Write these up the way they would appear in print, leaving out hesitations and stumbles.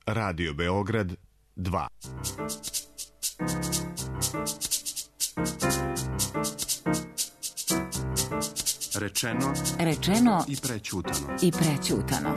Radio Beograd 2. Rečeno i prećutano.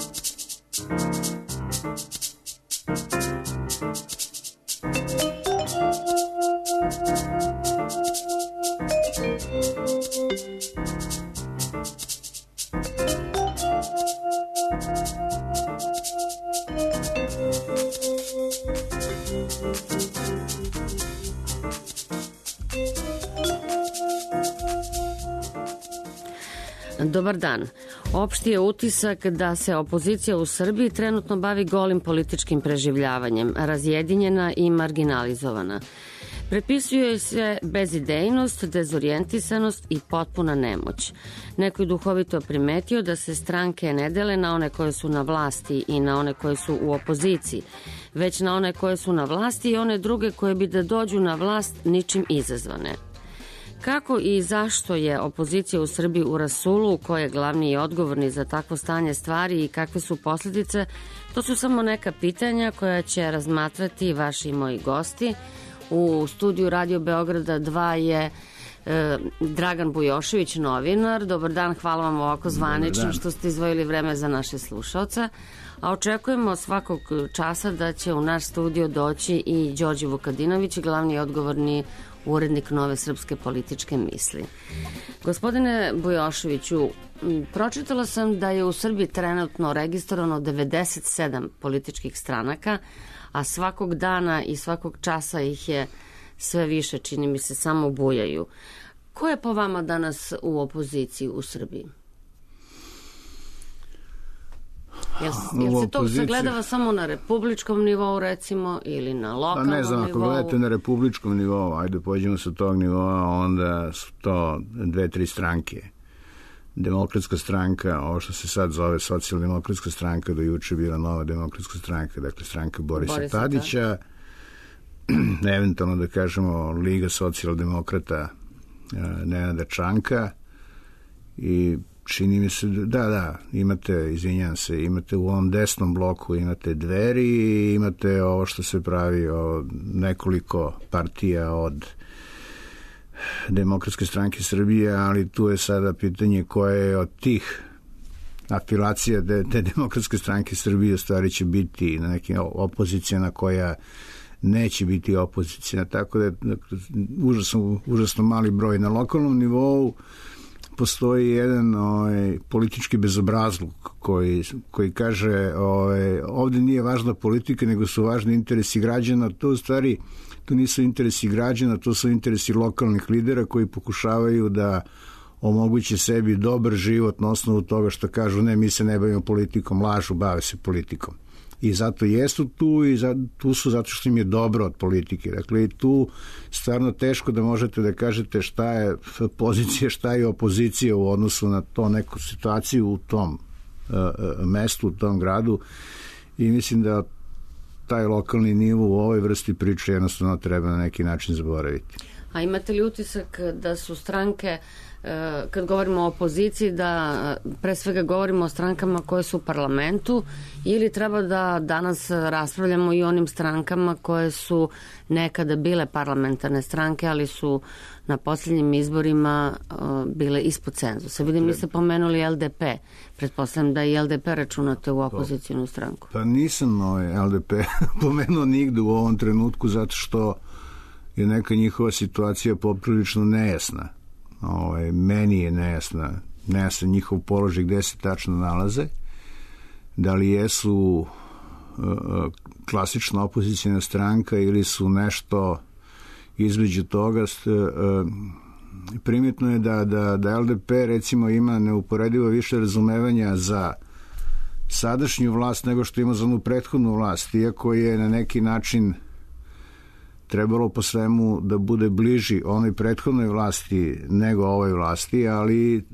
Dobar dan. Opšti je utisak da se opozicija u Srbiji trenutno bavi golim političkim preživljavanjem, razjedinjena i marginalizovana. Prepisuje se bezidejnost, dezorijentisanost i potpuna nemoć. Neko je duhovito primetio da se stranke ne dele na one koje su na vlasti i na one koje su u opoziciji, već na one koje su na vlasti i one druge koje bi da dođu na vlast ničim izazvane. Kako i zašto je opozicija u Srbiji u rasulu, ko je glavni i odgovorni za takvo stanje stvari i kakve su posljedice, to su samo neka pitanja koja će razmatrati vaši i moji gosti. U studiju Radio Beograda 2 je Dragan Bujošević, novinar. Dobar dan, hvala vam ovako zvanično što ste izdvojili vreme za naše slušaoce. A očekujemo svakog časa da će u naš studio doći i Đorđe Vukadinović, glavni i odgovorni urednik Nove srpske političke misli. Gospodine Bujoševiću, pročitala sam da je u Srbiji trenutno registrovano 97 političkih stranaka, a svakog dana i svakog časa ih je sve više, čini mi se, samo bujaju. Ko je po vama danas u opoziciji u Srbiji? Jel se to sagledava samo na republičkom nivou, recimo, ili na lokalnom nivou? Ne znam, ako gledate na republičkom nivou, ajde pođemo sa tog nivoa, onda su to 2-3 stranke. Demokratska stranka, ovo što se sad zove socijaldemokratska stranka, do juče bila Nova demokratska stranka, dakle stranka Borisa Tadića, eventualno da kažemo Liga socijaldemokrata Nenada Čanka i čini mi se, imate u ovom desnom bloku, imate Dveri i imate ovo što se pravi od nekoliko partija od Demokratske stranke Srbije, ali tu je sada pitanje koje je od tih afilacija te Demokratske stranke Srbije stvari će biti na neke opozicijana koja neće biti opozicijana, tako da je užasno mali broj. Na lokalnom nivou postoji jedan politički bezobrazluk koji kaže ovde nije važna politika, nego su važni interesi građana. To u stvari, to nisu interesi građana, to su interesi lokalnih lidera koji pokušavaju da omoguće sebi dobar život na osnovu toga što kažu ne, mi se ne bavimo politikom, lažu, bave se politikom. I zato jesu tu i tu su zato što im je dobro od politike. Dakle, tu stvarno teško da možete da kažete šta je pozicija, šta je opozicija u odnosu na to neku situaciju u tom mestu, u tom gradu i mislim da taj lokalni nivo u ovoj vrsti priče jednostavno treba na neki način zaboraviti. A imate li utisak da su stranke, kad govorimo o opoziciji, da pre svega govorimo o strankama koje su u parlamentu ili treba da danas raspravljamo i o onim strankama koje su nekada bile parlamentarne stranke, ali su na posljednjim izborima bile ispod cenzusa? Vidim, mi ste pomenuli LDP. Pretpostavljam da i LDP računate u opozicijnu stranku. Pa nisam LDP pomenuo nigde u ovom trenutku zato što je neka njihova situacija poprilično nejasna. Meni je nejasan njihov položaj gde se tačno nalaze, da li jesu klasična opozicijna stranka ili su nešto između toga. Primetno je da LDP recimo ima neuporedivo više razumevanja za sadašnju vlast nego što ima za onu prethodnu vlast, iako je na neki način trebalo po svemu da bude bliži onoj prethodnoj vlasti nego ovoj vlasti, ali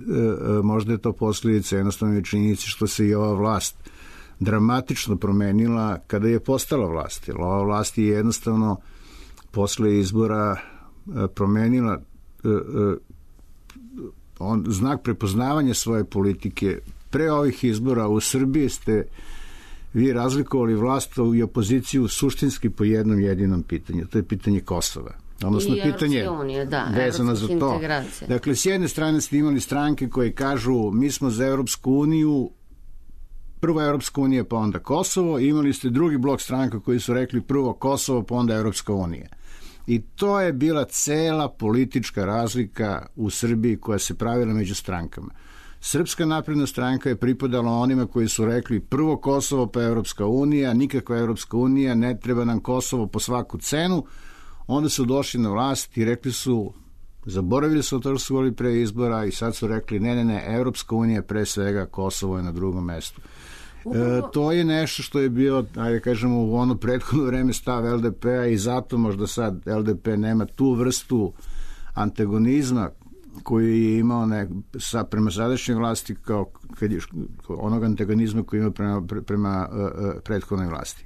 možda je to posljedica jednostavno činjenice što se i ova vlast dramatično promenila kada je postala vlast. Ova vlast je jednostavno posle izbora promenila znak prepoznavanja svoje politike. Pre ovih izbora u Srbiji ste vi razlikovali vlast i opoziciju suštinski po jednom jedinom pitanju. To je pitanje Kosova. Odnosno pitanje vezano za to. Dakle, s jedne strane ste imali stranke koje kažu mi smo za Evropsku uniju, prvo Evropska unija pa onda Kosovo, i imali ste drugi blok stranaka koji su rekli prvo Kosovo pa onda Evropska unija. I to je bila cela politička razlika u Srbiji koja se pravila među strankama. Srpska napredna stranka je pripadala onima koji su rekli prvo Kosovo pa Evropska unija, nikakva Evropska unija, ne treba nam Kosovo po svaku cenu. Onda su došli na vlast i rekli su, zaboravili su to što su govorili pre izbora i sad su rekli ne, Evropska unija pre svega, Kosovo je na drugom mestu. To je nešto što je bio, ajde kažemo, u ono prethodno vreme stav LDP-a i zato možda sad LDP nema tu vrstu antagonizma koji je imao prema sadašnjoj vlasti kao onog antagonizma koji ima prema prethodnoj vlasti.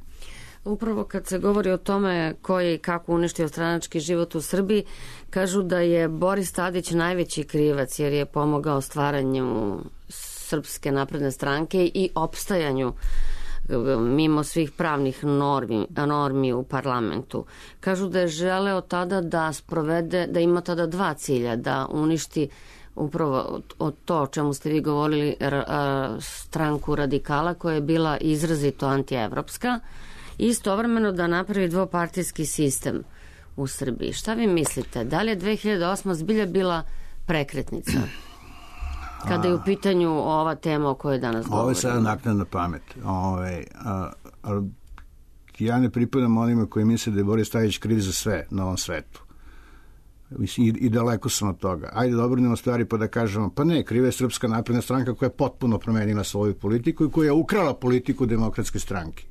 Upravo kad se govori o tome ko je i kako uništio stranački život u Srbiji, kažu da je Boris Tadić najveći krivac jer je pomogao stvaranju Srpske napredne stranke i opstajanju mimo svih pravnih normi u parlamentu. Kažu da je želeo tada da sprovede, da ima tada dva cilja, da uništi upravo o to o čemu ste vi govorili, stranku radikala koja je bila izrazito antievropska, i istovremeno da napravi dvopartijski sistem u Srbiji. Šta vi mislite? Da li je 2008. zbilja bila prekretnica? Kada je u pitanju ova tema o kojoj danas govorimo. Ovo je sada naknadna pamet. Ja ne pripadam onima koji misle da je Boris Tadić kriv za sve na ovom svetu. I daleko sam od toga. Ajde da obrnemo stvari pa da kažemo, pa ne, kriva je Srpska napredna stranka koja je potpuno promenila svoju politiku i koja je ukrala politiku Demokratske stranke.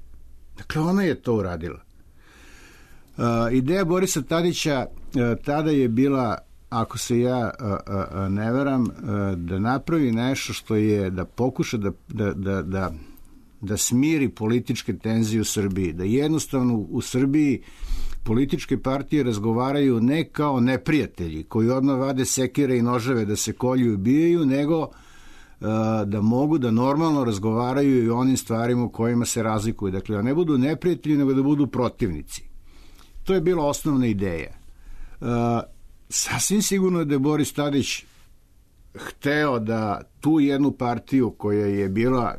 Dakle, ona je to uradila. Ideja Borisa Tadića tada je bila, ako se ja ne varam, da napravi nešto što je da pokuša da smiri političke tenzije u Srbiji, da jednostavno u Srbiji političke partije razgovaraju ne kao neprijatelji koji odmah vade sekire i noževe da se kolju i ubijaju, nego da mogu da normalno razgovaraju i o onim stvarima u kojima se razlikuju. Dakle, da ne budu neprijatelji, nego da budu protivnici. To je bila osnovna ideja. Sasvim sigurno da je Boris Tadić hteo da tu jednu partiju koja je bila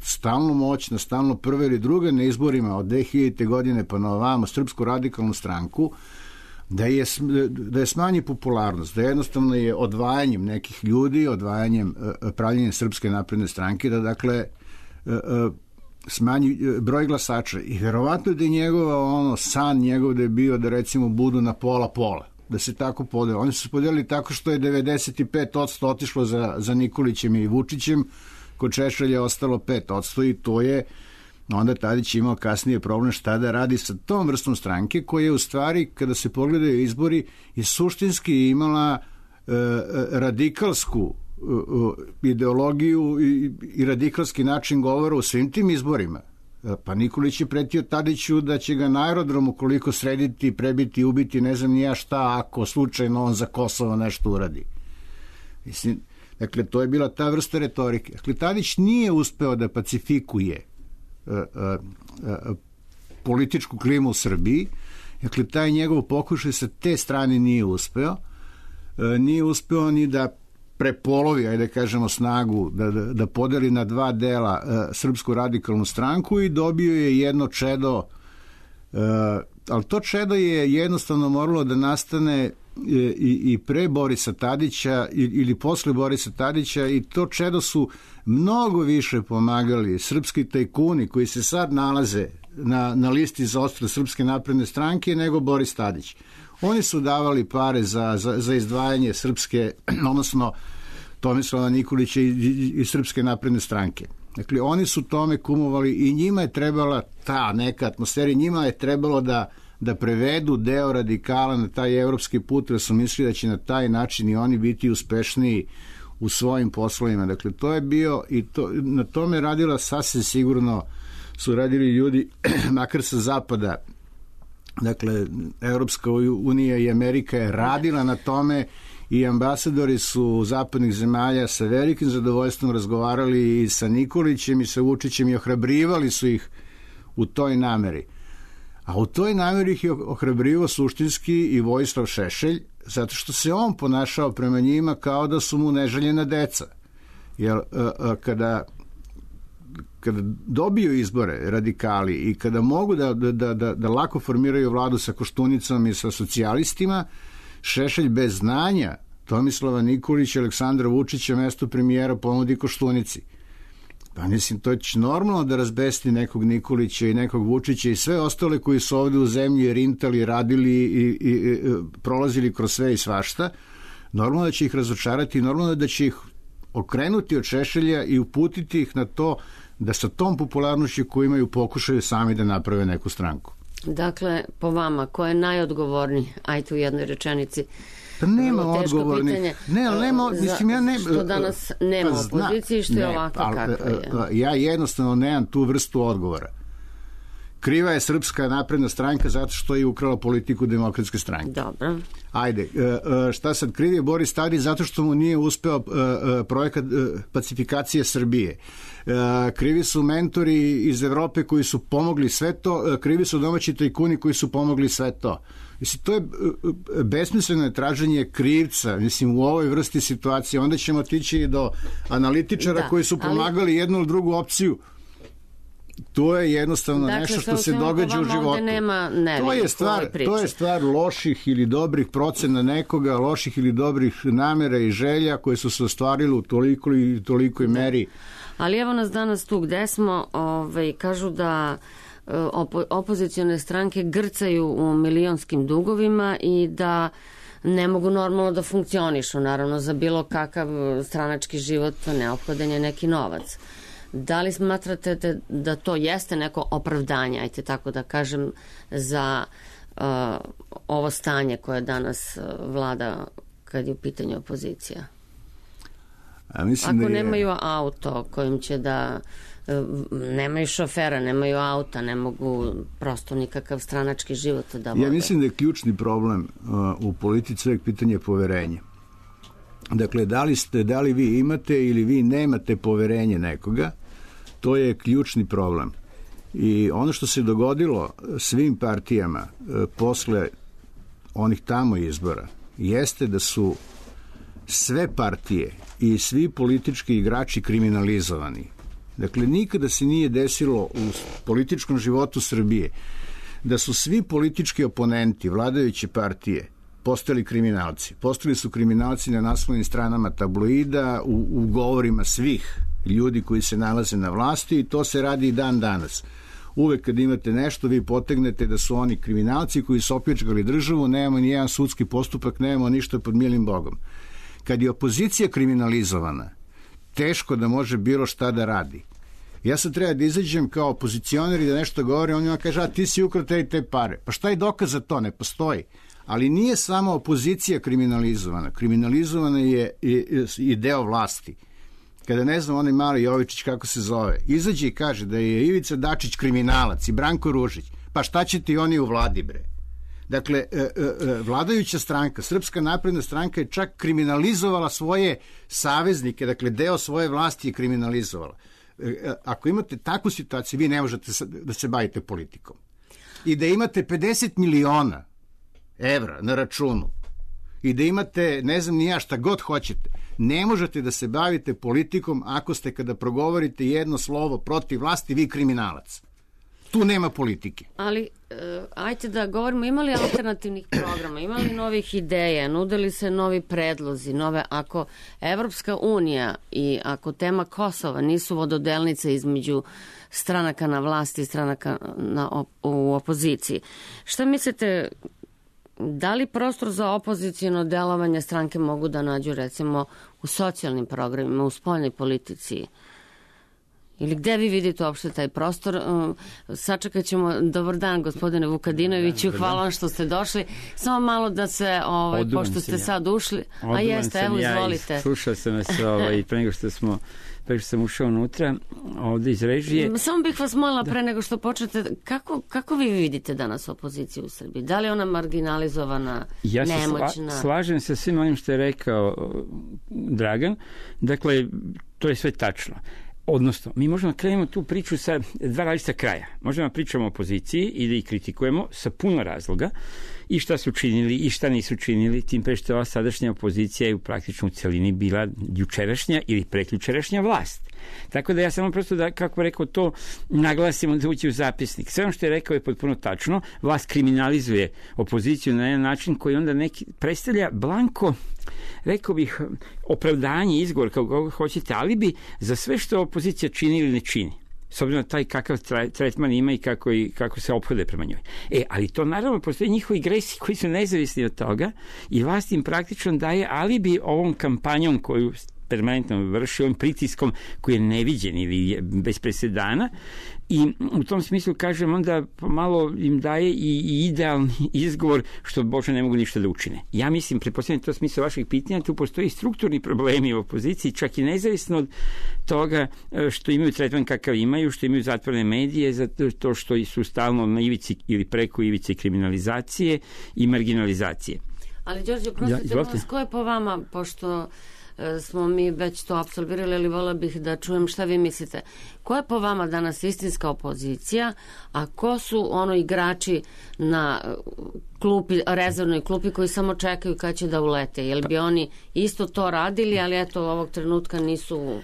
stalno moćna, stalno prva ili druga na izborima od 2000. godine pa na ovamo, Srpsku radikalnu stranku, da je smanji popularnost, da jednostavno je odvajanjem nekih ljudi, odvajanjem pravljenjem Srpske napredne stranke, da dakle smanji broj glasača. I verovatno da je njegova san njegov da je bio da recimo budu na pola, da se tako podeli. Oni su se podelili tako što je 95% otišlo za Nikolićem i Vučićem, kod Šešelja je ostalo 5% i to je onda Tadić imao kasnije problem šta da radi sa tom vrstom stranke koja je u stvari, kada se pogledaju izbori, je suštinski imala radikalsku ideologiju i radikalski način govora u svim tim izborima. Pa Nikolić je pretio Tadiću da će ga na aerodromu koliko srediti, prebiti, ubiti, ne znam ni ja šta, ako slučajno on za Kosovo nešto uradi. Mislim, dakle, to je bila ta vrsta retorike. Dakle, Tadić nije uspeo da pacifikuje političku klimu u Srbiji. Dakle, taj njegov pokušaj sa te strane nije uspeo. Nije uspeo ni da prepolovi, ajde kažemo, snagu, da podeli na dva dela Srpsku radikalnu stranku i dobio je jedno čedo, ali to čedo je jednostavno moralo da nastane i pre Borisa Tadića ili posle Borisa Tadića, i to čedo su mnogo više pomagali srpski tajkuni koji se sad nalaze na listi za odstrel Srpske napredne stranke nego Boris Tadić. Oni su davali pare za izdvajanje Srpske, odnosno Tomislava Nikolića i Srpske napredne stranke. Dakle, oni su tome kumovali i njima je trebala ta neka atmosfera, njima je trebalo da prevedu deo radikala na taj evropski put, jer su mislili da će na taj način i oni biti uspešniji u svojim poslovima. Dakle, to je bio i na tome radila sasvim sigurno su radili ljudi makar sa zapada. Dakle, Evropska unija i Amerika je radila na tome i ambasadori su zapadnih zemalja sa velikim zadovoljstvom razgovarali i sa Nikolićem i sa Vučićem i ohrabrivali su ih u toj nameri. A u toj nameri ih je ohrabrivo suštinski i Vojislav Šešelj, zato što se on ponašao prema njima kao da su mu neželjena deca. Jer kada dobiju izbore radikali i kada mogu da lako formiraju vladu sa Koštunicom i sa socijalistima, Šešelj bez znanja Tomislava Nikolića i Aleksandra Vučića mesto premijera ponudi Koštunici. Pa mislim, to je normalno da razbesti nekog Nikolića i nekog Vučića i sve ostale koji su ovde u zemlji rintali, radili i prolazili kroz sve i svašta. Normalno da će ih razočarati i normalno da će ih okrenuti od Šešelja i uputiti ih na to da sa tom popularnošću koju imaju pokušaju sami da naprave neku stranku. Dakle, po vama, ko je najodgovorniji? Ajte u jednoj rečenici. Pa nema odgovornih. Što danas nema opozicije, što je ovako kakva je. Ja jednostavno nemam tu vrstu odgovora. Kriva je Srpska napredna stranka zato što je ukrala politiku Demokratske stranke. Dobro. Ajde, šta sad, kriv je Boris Tadić zato što mu nije uspeo projekat pacifikacije Srbije. Krivi su mentori iz Evrope koji su pomogli sve to, krivi su domaći tajkuni koji su pomogli sve to. Mislim, to je besmisleno traženje krivca, mislim, u ovoj vrsti situacije. Onda ćemo otići do analitičara koji su pomagali jednu ili drugu opciju. To je jednostavno nešto što se događa u životu. To je stvar loših ili dobrih procena nekoga, loših ili dobrih namera i želja koje su se ostvarile u tolikoj meri. Ali evo nas danas tu gde smo, kažu da opozicione stranke grcaju u milionskim dugovima i da ne mogu normalno da funkcionišu. Naravno, za bilo kakav stranački život neophodan je neki novac. Da li smatrate da to jeste neko opravdanje, ajte tako da kažem, za ovo stanje koje danas vlada kad je u pitanju opozicija? Ako nemaju auto kojim će da nemaju šofera, nemaju auta, ne mogu prosto nikakav stranački život da vode. Ja mislim da je ključni problem u politici uvek pitanje poverenja. Dakle, da li vi imate ili vi nemate poverenje nekoga, to je ključni problem. I ono što se dogodilo svim partijama posle onih tamo izbora jeste da su sve partije i svi politički igrači kriminalizovani. Dakle, nikada se nije desilo u političkom životu Srbije da su svi politički oponenti vladajuće partije postali kriminalci. Postali su kriminalci na naslovnim stranama tabloida, u govorima svih ljudi koji se nalaze na vlasti i to se radi i dan danas. Uvek kad imate nešto, vi potegnete da su oni kriminalci koji su opljačkali državu, nemamo ni jedan sudski postupak, nemamo ništa pod milim Bogom. Kad je opozicija kriminalizovana, teško da može bilo šta da radi. Ja sad treba da izađem kao opozicioner i da nešto govorim, on njima kaže, a ti si ukrao te pare. Pa šta je dokaz za to? Ne postoji. Ali nije samo opozicija kriminalizovana. Kriminalizovana je i deo vlasti. Kada ne znam, onaj mali Jovičić kako se zove, izađe i kaže da je Ivica Dačić kriminalac i Branko Ružić. Pa šta će ti oni u vladi, bre? Dakle, vladajuća stranka, Srpska napredna stranka je čak kriminalizovala svoje saveznike, dakle, deo svoje vlasti je kriminalizovala. Ako imate takvu situaciju, vi ne možete da se bavite politikom. I da imate 50 miliona evra na računu i da imate, ne znam ni ja, šta god hoćete, ne možete da se bavite politikom ako ste kada progovorite jedno slovo protiv vlasti, vi kriminalac. Tu nema politike. Ali, ajte da govorimo, imali alternativnih programa, imali novih ideja, nudili se novi predlozi, ako Evropska unija i ako tema Kosova nisu vododelnice između stranaka na vlasti i stranaka u opoziciji, šta mislite, da li prostor za opozicijno delovanje stranke mogu da nađu recimo u socijalnim programima, u spoljnoj politici? Ili gde vi vidite uopšte taj prostor? Sačekat ćemo. Dobar dan, gospodine Vukadinoviću, hvala vam što ste došli. Samo malo da se, pošto ste sad ušli, a jeste, evo, izvolite. Slušao sam vas pre nego što sam ušao unutra, ovde iz režije. Samo bih vas molila pre nego što počnete, kako vi vidite danas opoziciju u Srbiji? Da li je ona marginalizovana, nemoćna? Ja se slažem sa svim onim što je rekao Dragan. Dakle, to je sve tačno. Odnosno, mi možemo da krenemo tu priču sa dva različita kraja. Možemo da pričamo o opoziciji i da ih kritikujemo sa puno razloga i šta su činili i šta nisu činili, tim pre što ova sadašnja opozicija je u praktično u celini bila jučerašnja ili preključerašnja vlast. Tako da ja samo prosto da, kako rekao, to naglasimo da ući u zapisnik. Sve ono što je rekao je potpuno tačno. Vlast kriminalizuje opoziciju na jedan način koji onda neki predstavlja blanko, rekao bih, opravdanje, izgovor, kako hoćete, alibi za sve što opozicija čini ili ne čini. S obzirom na taj kakav tretman ima i kako se ophode prema njoj. Ali to naravno postoje njihovi gresi koji su nezavisni od toga i vlast im praktično daje alibi ovom kampanjom koju permanentno vrši, ovim pritiskom koji je neviđen ili bez presedana, i u tom smislu, kažem, onda malo im daje i idealni izgovor što Bože ne mogu ništa da učine. Ja mislim, pretpostavljam to smisla vaših pitanja, tu postoji strukturni problemi u opoziciji, čak i nezavisno od toga što imaju tretman kakav imaju, što imaju zatvorene medije, zato što su stalno na ivici ili preko ivice kriminalizacije i marginalizacije. Ali, Đorđe, prostite vas, ko je po vama, pošto smo mi već to apsolvirali, ali vola bih da čujem šta vi mislite. Ko je po vama danas istinska opozicija, a ko su igrači na klupi, rezervnoj klupi koji samo čekaju kad će da ulete? Jel bi oni isto to radili, ali eto ovog trenutka nisu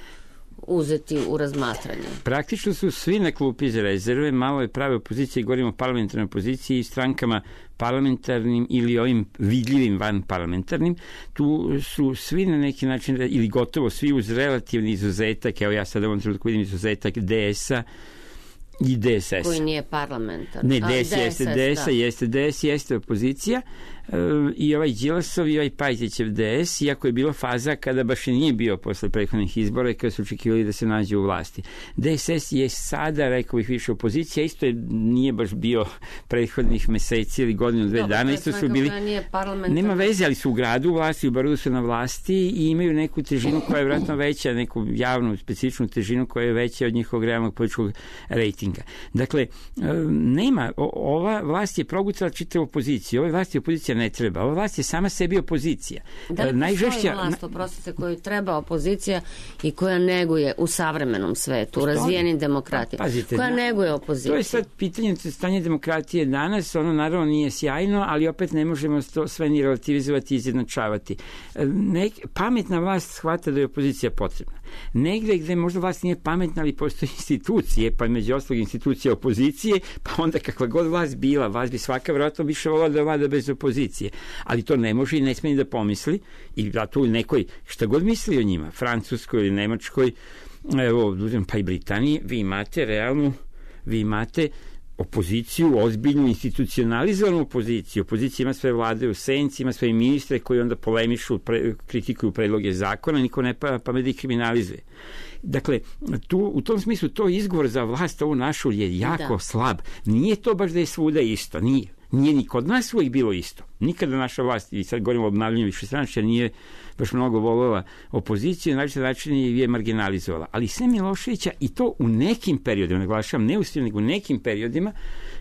uzeti u razmatranje? Praktično su svi na klupi za rezerve, malo je prave opozicije, govorimo o parlamentarnoj opoziciji i strankama parlamentarnim ili ovim vidljivim van parlamentarnim. Tu su svi na neki način, ili gotovo svi uz relativni izuzetak, evo ja sad u ovom trenutku vidim izuzetak DS-a i DSS. Koji nije parlamentarni. Ne, DS jeste, DS jeste opozicija, i ovaj Đilasov i ovaj Pajtićev DS, iako je bilo faza kada baš i nije bio posle prethodnih izbora i kada su očekivali da se nađe u vlasti. DSS je sada, rekao bih, više opozicija, isto nije baš bio prethodnih meseci ili godinu, dve dana, isto su bili, nema veze, ali su u gradu u vlasti, u Beogradu su na vlasti i imaju neku težinu koja je vjerojatno veća, neku javnu, specifičnu težinu koja je veća od njihovog realnog političkog rejtinga. Dakle, nema, ova vlast je progutala čitavu opoziciju, ova vlast je opozicija ne treba. Ova vlast je sama sebi opozicija. Da li postoji vlast, oprostite, koju treba opozicija i koja neguje u savremenom svetu, u razvijenim demokratijama? Koja neguje opoziciju? To je sad pitanje stanja demokratije danas, ono naravno nije sjajno, ali opet ne možemo to sve ni relativizovati i izjednačavati. Pametna vlast shvata da je opozicija potrebna. Negde gde možda vlast nije pametna, ali postoje institucije, pa među ostalog institucija opozicije, pa onda kakva god vlast bila, vlast bi svaka vjerojatno više volila da vlada bez opozicije. Ali to ne može i ne smije da pomisli, i zato u nekoj, šta god misli o njima, Francuskoj ili Nemačkoj, evo, pa i Britaniji, vi imate opoziciju, ozbiljnu, institucionalizovanu opoziciju. Opozicija ima sve vlade u senci, ima sve ministre koji onda polemišu, kritikuju predloge zakona, niko ne pamet da ih kriminalizuje. Dakle, u tom smislu to izgovor za vlast ovu našu je jako slab. Nije to baš da je svuda isto, nije ni kod nas uvijek bilo isto. Nikada naša vlast, i sad govorimo o obnavljanju višestranačja, nije baš mnogo voljela opoziciju, na način je marginalizovala. Ali sve Miloševića, i to u nekim periodima, naglašavam, ne u svim, nego u nekim periodima,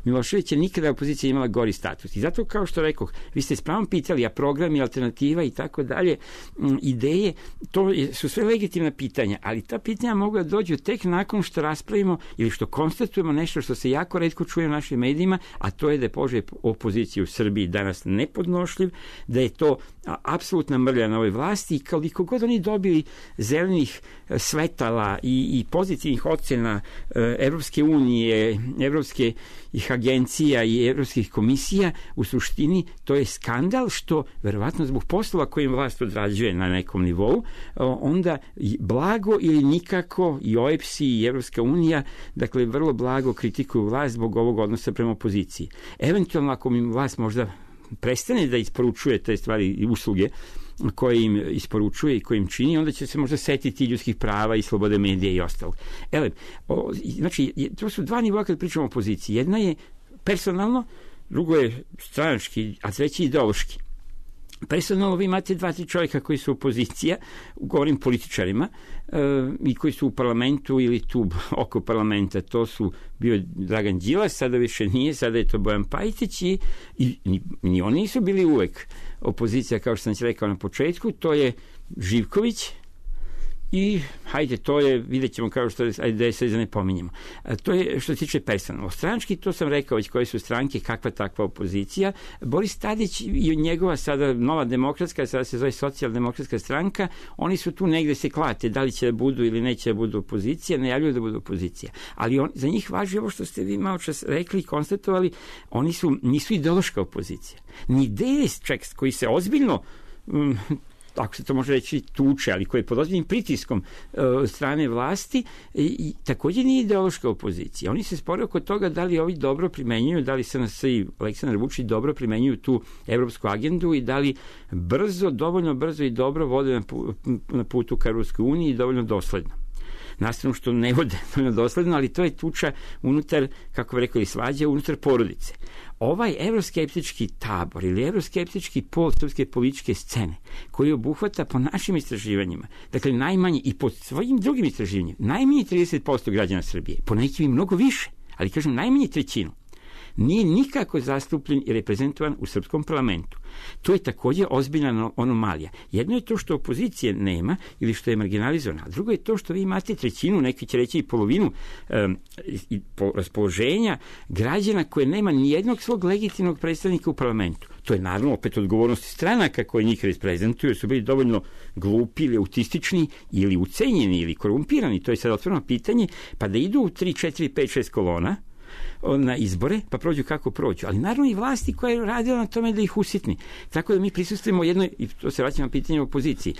Miloševića nikada opozicija imala gori status. I zato, kao što rekoh, vi ste s pravom pitali, a programi, alternativa i tako dalje, ideje, to su sve legitimna pitanja, ali ta pitanja mogu da dođu tek nakon što raspravimo ili što konstatujemo nešto što se jako retko čuje u našim medijima, a to je da je položaj opozicije u Srbiji danas nepodnošljiv, da je to apsolutna mrlja na ovoj vlasti i koliko god oni dobili zelenih svetala i pozitivnih ocena Evropske unije, evropskih agencija i evropskih komisija, u suštini to je skandal što, verovatno zbog poslova kojim vlast odrađuje na nekom nivou, onda blago ili nikako i OEPS i Evropska unija, dakle vrlo blago kritikuju vlast zbog ovog odnosa prema opoziciji. Eventualno ako mi vlast možda prestane da isporučuje te stvari i usluge koje im isporučuje i koje im čini, onda će se možda setiti ljudskih prava i slobode medija i ostalog. Znači, to su dva nivoa kad pričamo o opoziciji. Jedna je personalno, drugo je stranački, a treći ideološki. Personalno vi imate 2-3 čovjeka koji su opozicija, govorim političarima, i koji su u parlamentu ili tu oko parlamenta. To su bio Dragan Đilas, sada više nije, sada je to Bojan Pajtić i ni oni nisu bili uvek opozicija, kao što sam ti rekao na početku. To je Živković i hajde, to je, vidjet ćemo kao što je sad ne pominjemo. To je što se tiče personalno. Stranački, to sam rekao već koje su stranke, kakva takva opozicija. Boris Tadić i njegova sada nova demokratska, sada se zove socijaldemokratska stranka, oni su tu negde se klate, da li će da budu ili neće da budu opozicija, najavljuju da budu opozicija. Ali za njih važi ovo što ste vi malo čas rekli i konstatovali, oni nisu ideološka opozicija. Ni ideje koji se ozbiljno ako se to može reći tuče, ali koji je pod ozbiljnim pritiskom strane vlasti i također nije ideološka opozicija. Oni se spore oko toga da li ovi dobro primenjuju, da li SNS i Aleksandar Vučić dobro primenjuju tu evropsku agendu i da li dovoljno brzo i dobro vode na putu ka Ruskoj uniji i dovoljno dosledno. Nastavno što ne vode dovoljno dosledno, ali to je tuča unutar, kako bi rekao, svađa unutar porodice. Ovaj evroskeptički tabor ili evroskeptički pol srpske političke scene koji obuhvata po našim istraživanjima, dakle najmanje i po svojim drugim istraživanjima, najmanje 30% građana Srbije, po nekim i mnogo više, ali kažem najmanje trećinu, nije nikako zastupljen i reprezentovan u srpskom parlamentu. To je također ozbiljna anomalija. Jedno je to što opozicije nema ili što je marginalizovana, a drugo je to što vi imate trećinu, neki će reći i polovinu raspoloženja građana koje nema nijednog svog legitimnog predstavnika u parlamentu. To je naravno opet odgovornost stranaka koje njih reprezentuju, jer su bili dovoljno glupi ili autistični ili ucenjeni ili korumpirani. To je sad otvoreno pitanje, pa da idu u 3, 4, 5, 6 kolona na izbore, pa prođu kako prođu. Ali naravno i vlasti koja je radila na tome da ih usitni. Tako da mi prisustujemo jednoj, i to se vraćamo na pitanje opoziciji,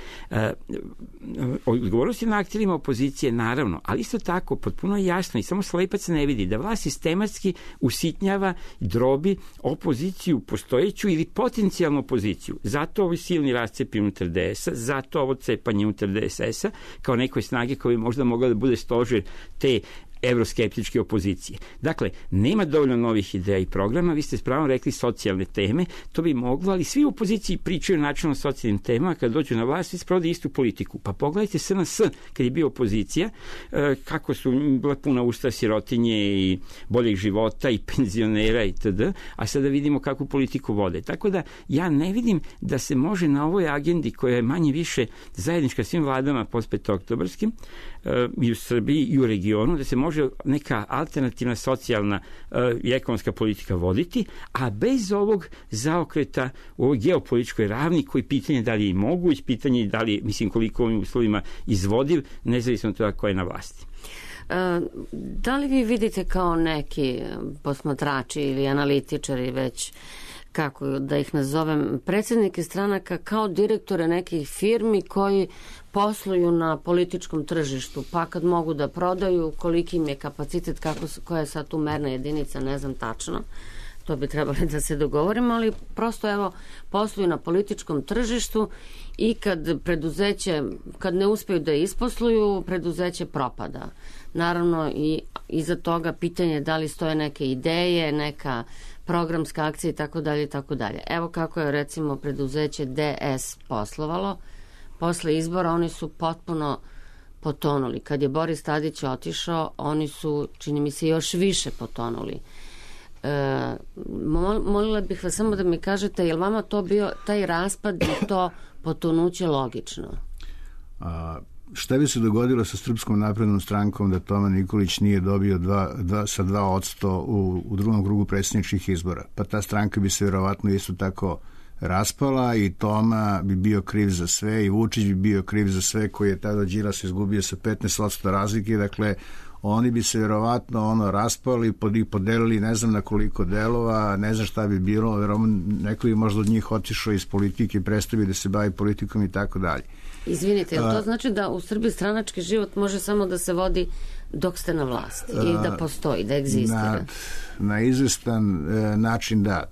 odgovornost je na akterima opozicije, naravno, ali isto tako, potpuno jasno i samo slepac ne vidi da vlast sistematski usitnjava, drobi opoziciju postojeću ili potencijalnu opoziciju. Zato ovi silni rascepi unutar DS-a, zato ovo cepanje unutar DSS-a, kao nekoj snage koja bi možda mogla da bude stožer te evroskeptičke opozicije. Dakle, nema dovoljno novih ideja i programa, vi ste s pravom rekli socijalne teme, to bi moglo, ali svi u opoziciji pričaju načelno o socijalnim temama, kad dođu na vlast i sprovode istu politiku. Pa pogledajte SNS, kad je bio opozicija, kako su bila puna usta sirotinje i boljeg života i penzionera itd., a sada vidimo kakvu politiku vode. Tako da ja ne vidim da se može na ovoj agendi koja je manje više zajednička svim vladama postpetooktobarskim i u Srbiji i u regionu, da se može neka alternativna socijalna i ekonomska politika voditi, a bez ovog zaokreta u ovoj geopolitičkoj ravni koji pitanje da li je moguć, pitanje da li, mislim, koliko ovim uslovima izvodiv, nezavisno od toga ko je na vlasti. Da li vi vidite kao neki posmatrači ili analitičari već, kako da ih nazovem, predsjednike stranaka kao direktore nekih firmi koji posluju na političkom tržištu, pa kad mogu da prodaju, koliki im je kapacitet, koja je sad tu merna jedinica, ne znam tačno, to bi trebali da se dogovorimo, ali prosto evo, posluju na političkom tržištu i kad ne uspeju da isposluju, preduzeće propada. Naravno i iza toga pitanje da li stoje neke ideje, neka programska akcija i tako dalje i tako dalje. Evo kako je recimo preduzeće DS poslovalo. Posle izbora oni su potpuno potonuli. Kad je Boris Tadić otišao, oni su, čini mi se, još više potonuli. Molila bih vas samo da mi kažete, je li vama to bio taj raspad i to potonuće logično? Šta bi se dogodilo sa Srpskom naprednom strankom da Toma Nikolić nije dobio sa 2% u drugom krugu predsjedničkih izbora? Pa ta stranka bi se vjerovatno isto tako raspala i Toma bi bio kriv za sve i Vučić bi bio kriv za sve, koji je tada Đilas izgubio sa 15% razlike. Dakle, oni bi se vjerovatno raspali i podelili ne znam na koliko delova, ne znam šta bi bilo, neko bi možda od njih otišao iz politike, predstavio da se bavi politikom i tako dalje. Izvinite, to znači da u Srbiji stranački život može samo da se vodi dok ste na vlasti i da postoji, da egzistira? Na izvestan način da,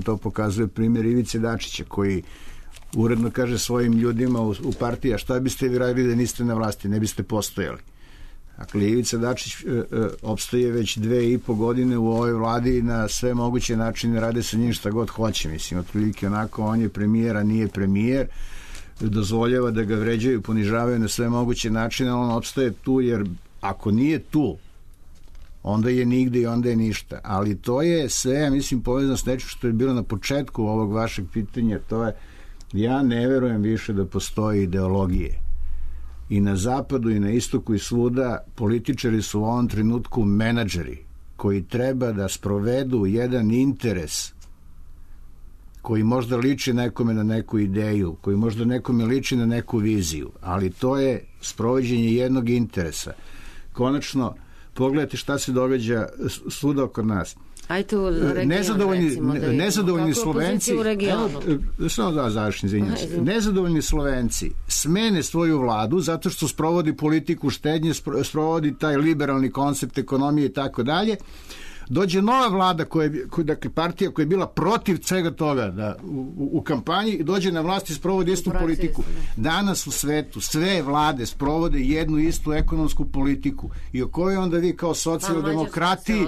to pokazuje primjer Ivice Dačića, koji uredno kaže svojim ljudima u partiji, a šta biste vi radili da niste na vlasti, ne biste postojali. Dakle, Ivica Dačić opstoje već 2,5 godine u ovoj vladi na sve moguće načine, rade sa njim šta god hoće, mislim, otprilike onako, on je premijer, a nije premijer, dozvoljava da ga vređaju, ponižavaju na sve moguće načine, on opstaje tu, jer ako nije tu, onda je nigde i onda je ništa. Ali to je sve, ja mislim, povezano s nečim što je bilo na početku ovog vašeg pitanja, to je, ja ne verujem više da postoji ideologije. I na zapadu i na istoku i svuda političari su u ovom trenutku menadžeri koji treba da sprovedu jedan interes koji možda liči nekome na neku ideju, koji možda nekome liči na neku viziju, ali to je sprovođenje jednog interesa. Konačno, pogledajte šta se događa svuda oko nas. Ajde u regionu, nezadovoljni Slovenci, samo da završim, nezadovoljni Slovenci smene svoju vladu zato što sprovodi politiku štednje, sprovodi taj liberalni koncept ekonomije i tako dalje. Dođe nova vlada, dakle partija koja je bila protiv svega toga u kampanji, i dođe na vlast i sprovodi istu politiku. Danas u svetu sve vlade sprovode jednu istu ekonomsku politiku. I o kojoj onda vi kao socijaldemokratiji,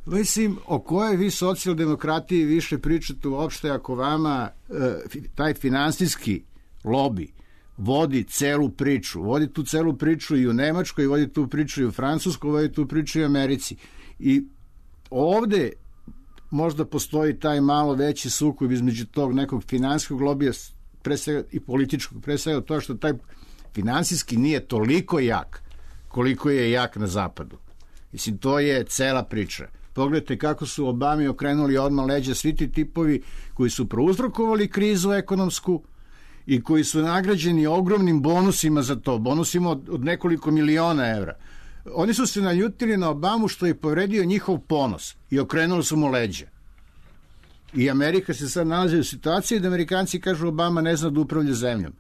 mislim, o kojoj vi socijaldemokratiji više pričate uopšte ako vama taj finansijski lobi vodi celu priču. Vodi tu celu priču i u Nemačkoj, vodi tu priču i u Francuskoj, vodi tu priču i u Americi. I ovde možda postoji taj malo veći sukob između tog nekog finansijskog lobija, pre svega i političkog, pre svega to što taj finansijski nije toliko jak koliko je jak na zapadu. Mislim, to je cela priča. Pogledajte kako su Obami okrenuli odmah leđa svi ti tipovi koji su prouzrokovali krizu ekonomsku i koji su nagrađeni ogromnim bonusima za to, bonusima od nekoliko miliona evra. Oni su se naljutili na Obamu što je povredio njihov ponos i okrenuli su mu leđa. I Amerika se sad nalazi u situaciji da Amerikanci kažu Obama ne zna da upravlja zemljom.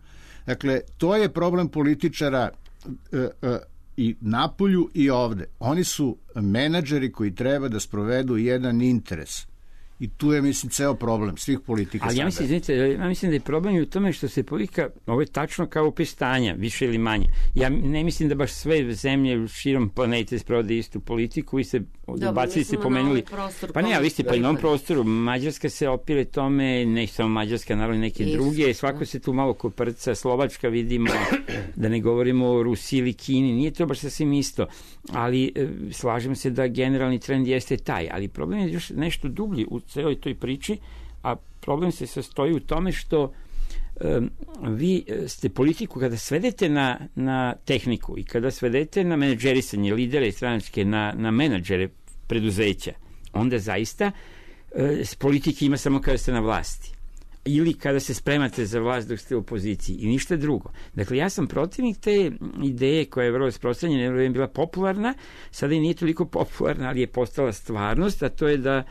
Dakle, to je problem političara i napolju i ovde. Oni su menadžeri koji treba da sprovedu jedan interes. I tu je, mislim, ceo problem svih politika. Ali ja mislim da je problem u tome što se politika, ovo je tačno kao opis stanja, više ili manje. Ja ne mislim da baš sve zemlje širom planete sprovode istu politiku i se bacili ste pomenuli. Pa ne, ali ste pa i na ovom prostoru. Mađarska se opire tome, ne samo Mađarska, naravno neke druge. Svako se tu malo koprca, Slovačka vidimo, da ne govorimo o Rusiji ili Kini. Nije to baš sasvim isto. Ali slažem se da generalni trend jeste taj. Ali problem je još nešto dublji u celoj toj priči, a problem se sastoji u tome što vi ste politiku kada svedete na tehniku i kada svedete na menadžerisanje, lidere stranačke, na menadžere preduzeća, onda zaista politike ima samo kada ste na vlasti ili kada se spremate za vlast dok ste u opoziciji i ništa drugo. Dakle, ja sam protivnik te ideje koja je vrlo rasprostranjena, je bila popularna, sada i nije toliko popularna, ali je postala stvarnost, a to je da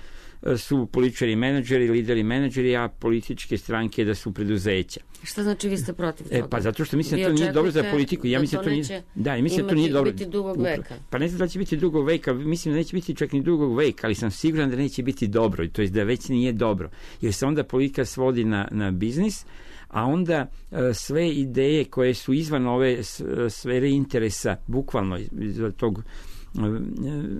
su političari menadžeri, lideri menadžeri, a političke stranke da su preduzeća. Šta znači vi ste protiv toga? Pa zato što mislim da to nije dobro za politiku. Ja mislim da to nije, da, mislim da to nije dobro. Biti dugog veka. Pa ne znam da će biti dugog veka, mislim da neće biti čak ni dugog veka, ali sam siguran da neće biti dobro, to je da već nije dobro. Jer se onda politika svodi na biznis, a onda sve ideje koje su izvan ove sfere interesa, bukvalno za tog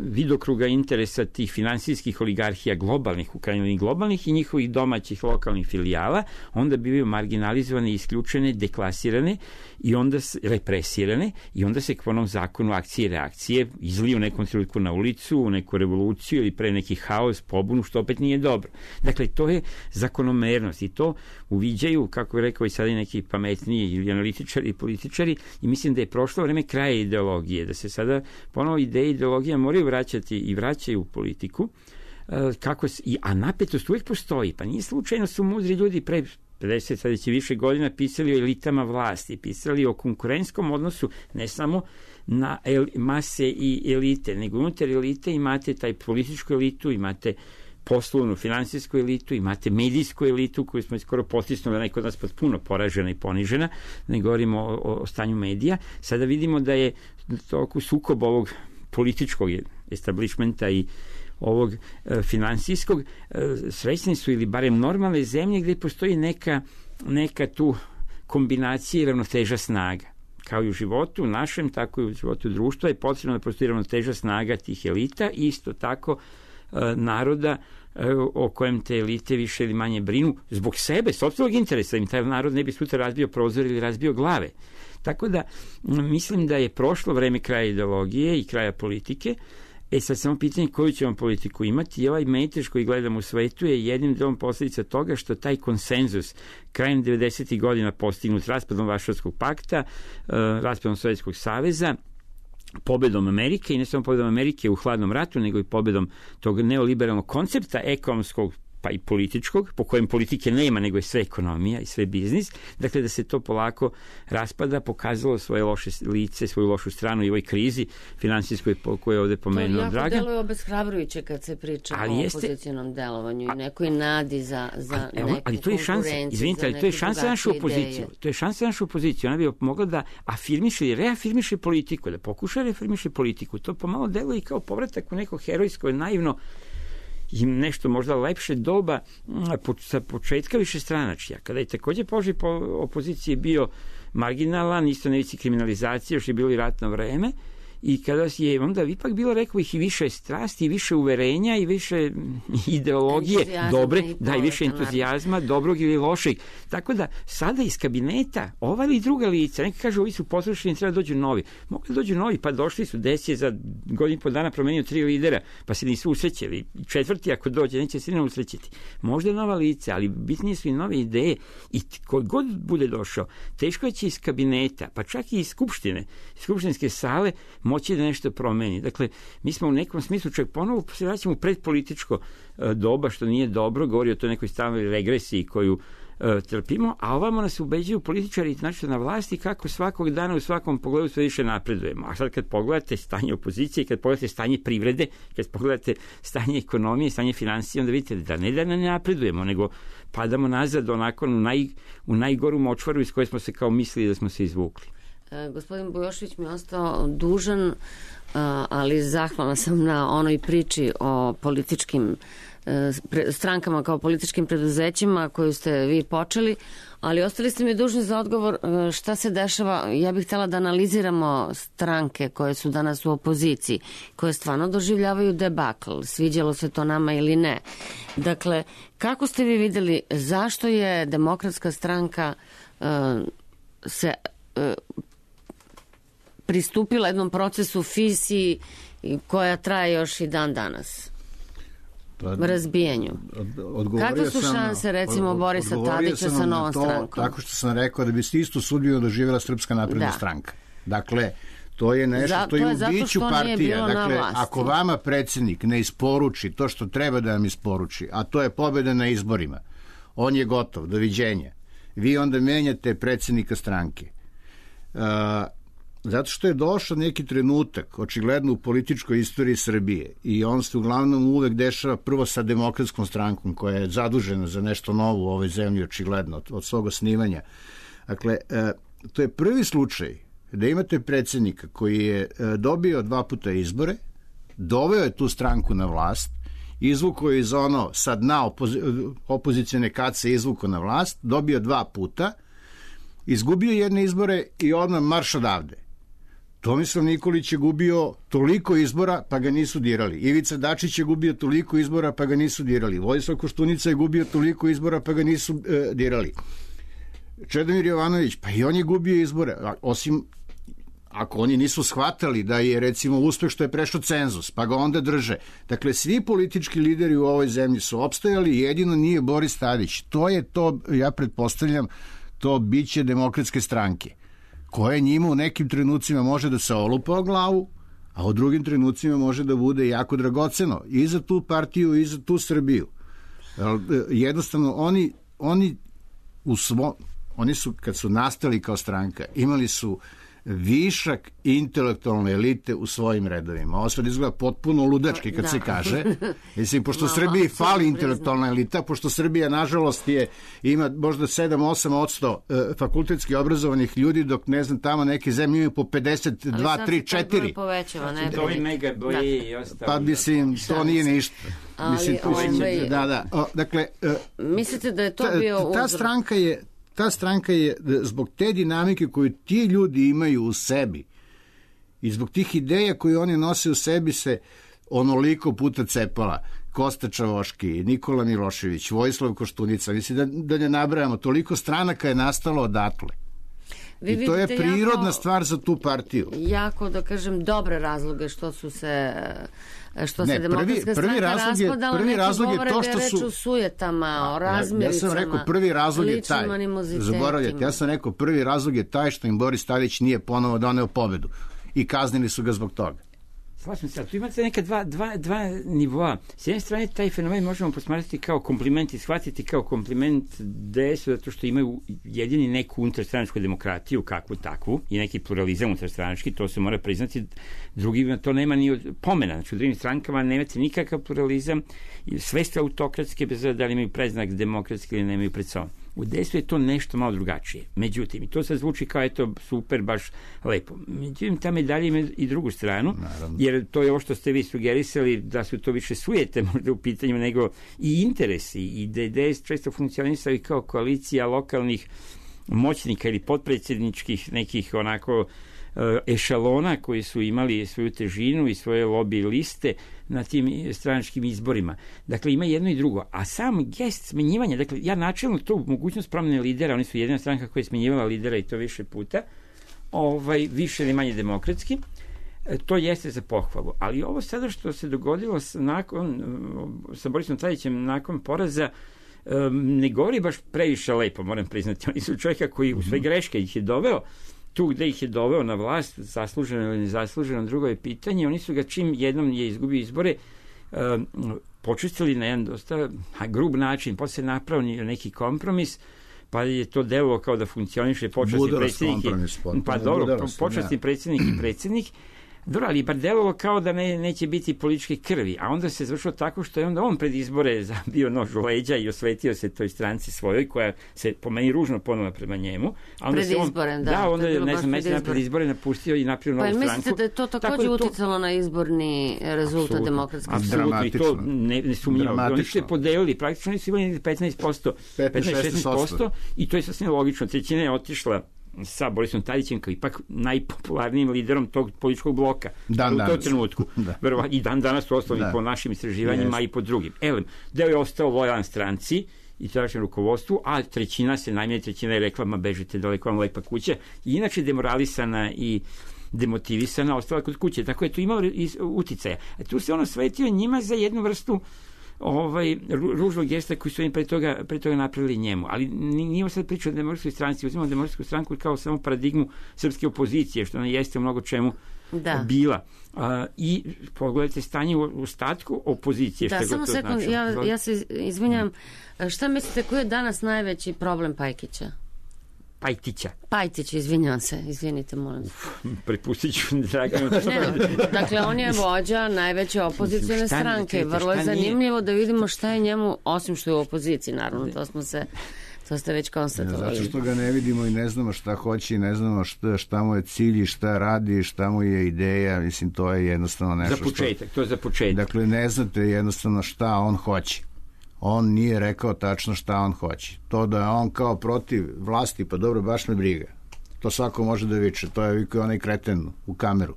vidokruga interesa tih finansijskih oligarhija globalnih, u krajnjoj globalnih i njihovih domaćih lokalnih filijala, onda bivaju marginalizovane, isključene, deklasirane i onda represirane i onda se k onom zakonu akcije i reakcije izliju u nekom trenutku na ulicu, u neku revoluciju ili pre neki haos, pobunu, što opet nije dobro. Dakle, to je zakonomernost i to uviđaju, kako je rekao i sada i neki pametniji ili analitičari i političari, i mislim da je prošlo vreme kraja ideologije, da se sada ponovo ideologija moraju vraćati i vraćaju u politiku, a napetost uvijek postoji. Pa nije slučajno su mudri ljudi pre 50, sada će više godina pisali o elitama vlasti, pisali o konkurentskom odnosu ne samo na mase i elite, nego unutar elite imate taj političku elitu, imate poslovnu, finansijsku elitu, imate medijsku elitu koju smo skoro potisnuli, ona je kod nas potpuno poražena i ponižena, ne govorimo o stanju medija. Sada vidimo da je toliko sukob ovog političkog establishmenta i ovog finansijskog, srećni su ili barem normalne zemlje gdje postoji neka neka tu kombinacija i ravnoteža snaga. Kao i u životu našem, tako i u životu društva je potrebno da postoji ravnoteža snaga tih elita i isto tako naroda o kojem te elite više ili manje brinu zbog sebe, sopstvenog interesa, im taj narod ne bi sutra razbio prozor ili razbio glave. Tako da mislim da je prošlo vreme kraja ideologije i kraja politike. Sad samo pitanje koju ćemo politiku imati i ovaj metež koji gledamo u svetu je jednim delom posljedica toga što taj konsenzus krajem 90. godina postignut raspadom Varšavskog pakta, raspadom Sovjetskog saveza, pobedom Amerike i ne samo pobedom Amerike u hladnom ratu, nego i pobedom tog neoliberalnog koncepta ekonomskog pa i političkog, po kojem politike nema, nego je sve ekonomija i sve biznis. Dakle, da se to polako raspada, pokazalo svoje loše lice, svoju lošu stranu i ovoj krizi finansijskoj koju je ovde pomenuo Dragan. To jako deluje obeshrabrujuće kad se priča o opozicionom delovanju i nekoj nadi za neku ali to je šansa, izvinite, ali to je šansa našu opoziciju. To je šansa našu opoziciju. Ona bi mogla da afirmiše i reafirmiše politiku, da pokuša reafirmiše politiku. To pomalo deluje i kao povratak u neko herojsko, naivno i nešto možda lepše doba sa početka višestranačja, kada je takođe položaj opozicije bio marginalan, isto na ivici kriminalizacije, još je bilo i ratno vreme, i kada je onda ipak bilo, rekao bih, i više strasti, i više uverenja, i više ideologije, dobre, da, i više entuzijazma, dobrog ili lošeg. Tako da, sada iz kabineta, ova ili druga lica, neki kažu, ovi su poslušani, treba dođu novi. Mogli da dođu novi, pa došli su, je za godinu i po dana promenio 3 lidera, pa se nisu usrećeli. Četvrti, ako dođe, neće se ne usrećiti. Možda nova lica, ali bitnije su i nove ideje, i kod god bude došao, teško će iz kabineta, pa čak i iz skupštinske sale, moći da nešto promeni. Dakle, mi smo u nekom smislu čak ponovo se vraćamo u predpolitičko doba, što nije dobro, govori o toj nekoj stalnoj regresiji koju trpimo, a ovamo nas ubeđuju političari znači na vlasti kako svakog dana u svakom pogledu sve više napredujemo. A sad kad pogledate stanje opozicije, kad pogledate stanje privrede, kad pogledate stanje ekonomije, stanje finansija, onda vidite da ne napredujemo, nego padamo nazad onako u najgoru močvaru iz koje smo se kao mislili da smo se izvukli. Gospodin Bujošević mi je ostao dužan, ali zahvalna sam na onoj priči o političkim strankama kao političkim preduzećima koju ste vi počeli, ali ostali ste mi dužni za odgovor šta se dešava. Ja bih htjela da analiziramo stranke koje su danas u opoziciji, koje stvarno doživljavaju debakl, sviđalo se to nama ili ne. Dakle, kako ste vi videli zašto je Demokratska stranka se pristupila jednom procesu fisiji koja traje još i dan danas? Razbijanju. Kakve su šanse, recimo, Borisa Tadića sa novom strankom? Tako što sam rekao da bi se istu sudbinu doživjela Srpska napredna stranka. Dakle, to je nešto što je u biću partija. Dakle, ako vama predsjednik ne isporuči to što treba da vam isporuči, a to je pobjeda na izborima, on je gotov, doviđenja. Vi onda menjate predsjednika stranke. Zato što je došao neki trenutak, očigledno u političkoj istoriji Srbije, i on se uglavnom uvek dešava prvo sa Demokratskom strankom koja je zadužena za nešto novo u ovoj zemlji, očigledno, od svog osnivanja. Dakle, to je prvi slučaj da imate predsjednika koji je dobio 2 puta izbore, doveo je tu stranku na vlast, izvukao je iz ono sa dna opozicione kace, izvukao na vlast, dobio 2 puta, izgubio jedne izbore i odmah marš odavde. Tomislav Nikolić je gubio toliko izbora pa ga nisu dirali. Ivica Dačić je gubio toliko izbora pa ga nisu dirali. Vojislav Koštunica je gubio toliko izbora pa ga nisu dirali. Čedomir Jovanović, pa i on je gubio izbore. Osim ako oni nisu shvatali da je recimo uspeh što je prešao cenzus, pa ga onda drže. Dakle, svi politički lideri u ovoj zemlji su opstajali, jedino nije Boris Tadić. To je to, ja pretpostavljam, to biće Demokratske stranke, koje njima u nekim trenucima može da se olupa o glavu, a u drugim trenucima može da bude jako dragoceno i za tu partiju i za tu Srbiju. Jednostavno, oni su, kad su nastali kao stranka, imali su višak intelektualne elite u svojim redovima. Ovo sve izgleda potpuno ludački kad se kaže. Mislim, pošto Srbiji fali intelektualna elita, pošto Srbija, nažalost, ima možda 7-8% fakultetski obrazovanih ljudi, dok, ne znam, tamo neke zemlje imaju po 52, 3, 4. Povećava, ne? To je mega boji i ostalo. Pa, mislim, to nije ništa. Mislim, dakle, mislite da je to bio uzrok? Ta stranka je ta stranka je, zbog te dinamike koju ti ljudi imaju u sebi i zbog tih ideja koje oni nose u sebi se onoliko puta cepala. Kosta Čavoški, Nikola Milošević, Vojislav Koštunica, mislim da ne nabrajamo, toliko stranaka je nastalo odatle. I to je prirodna stvar za tu partiju. Jako, da kažem, dobre razloge što se Demokratska stranka raspadala, neki govore da je reč o sujetama, o razmiricama. Ja sam rekao, prvi razlog je taj. Zaboravljate, ja sam rekao, prvi razlog je taj što im Boris Tadić nije ponovo doneo pobedu. I kaznili su ga zbog toga. Slažem se, ali tu imate neka dva nivoa. S jedne strane, taj fenomen možemo posmatrati kao kompliment i shvatiti kao kompliment DS-u, zato što imaju jedini neku unutarstranačku demokratiju, kakvu takvu, i neki pluralizam unutarstranački, to se mora priznati. Drugima to nema ni pomena. Znači, u drugim strankama nemate nikakav pluralizam, sve ste autokratske, bez da li imaju predznak demokratski ili nemaju pred sobom. U DS-u je to nešto malo drugačije. Međutim, i to sad zvuči kao eto super, baš lepo. Međutim, ta medalja ima i drugu stranu, naravno, jer to je ovo što ste vi sugerisali, da su to više sujete možda u pitanju nego i interesi. I DS često funkcionisali kao koalicija lokalnih moćnika ili potpredsjedničkih nekih onako ešalona koji su imali svoju težinu i svoje lobby liste na tim stranačkim izborima. Dakle, ima jedno i drugo. A sam gest smenjivanja, dakle, ja načelno tu mogućnost promjene lidera, oni su jedina stranka koja je smenjivala lidera i to više puta, više ili manje demokratski, to jeste za pohvalu. Ali ovo sada što se dogodilo sa Borisom Tadićem nakon poraza, ne govori baš previše lepo, moram priznati. Oni su čovjeka koji u sve greške ih je doveo tu gde ih je doveo na vlast, zasluženo ili nezasluženo, drugo je pitanje. Oni su ga čim jednom je izgubio izbore počistili na jedan dosta grub način, posle se napravio neki kompromis, pa je to delovalo kao da funkcioniše počasni predsjednik počasni predsjednik i predsjednik. Dobro, ali bar delovalo kao da neće biti političke krvi, a onda se završilo tako što je onda on pred izbore zabio nož u leđa i osvetio se toj stranci svojoj, koja se po meni ružno ponula prema njemu. A onda pred izborem, da. Onda je, ne znam, pred izbore napustio i napravio novu stranku. Pa mislite da je to također uticalo na izborni rezultat Demokratske stranke? Apsolutno, i to nesumnjivo. Oni su je podelili, praktično oni su imali 15%, i to je sasvim logično. Trećina je otišla sa Borisom Tadićem kao ipak najpopularnijim liderom tog političkog bloka u tom trenutku. I dan danas su ostali po našim istraživanjima i po drugim. Deo je ostao lojalan stranci i tadašnjem rukovodstvu, a najmanje trećina je rekla, ma bežite daleko, vam lepa kuća, i inače demoralisana i demotivisana ostala kod kuće. Tako je to imalo uticaja. A tu se ono svetio njima za jednu vrstu ružnog gesta koji su oni pre toga napravili njemu. Ali nije sad priča o Demokratskoj stranci, uzimamo Demokratsku stranku kao samo paradigmu srpske opozicije, što ona jeste u mnogo čemu bila. I pogledajte stanje u ostatku opozicije. Da, samo sekund, ja se izvinjam. Šta mislite, koji je danas najveći problem Pajtića, izvinjavam se, izvinite, molim. Prepustit ću Draganu. Dakle, on je vođa najveće opozicione stranke. Vrlo je zanimljivo da vidimo šta je njemu, osim što je u opoziciji, naravno, to ste već konstatovali. Zato što ga ne vidimo i ne znamo šta hoće i ne znamo šta mu je cilj i šta radi, šta mu je ideja, mislim, to je jednostavno nešto to je za početak. Dakle, ne znate jednostavno šta on hoće. On nije rekao tačno šta on hoće. To da je on kao protiv vlasti, pa dobro, baš me briga. To svako može da viče. To je vikao onaj kreten u kameru.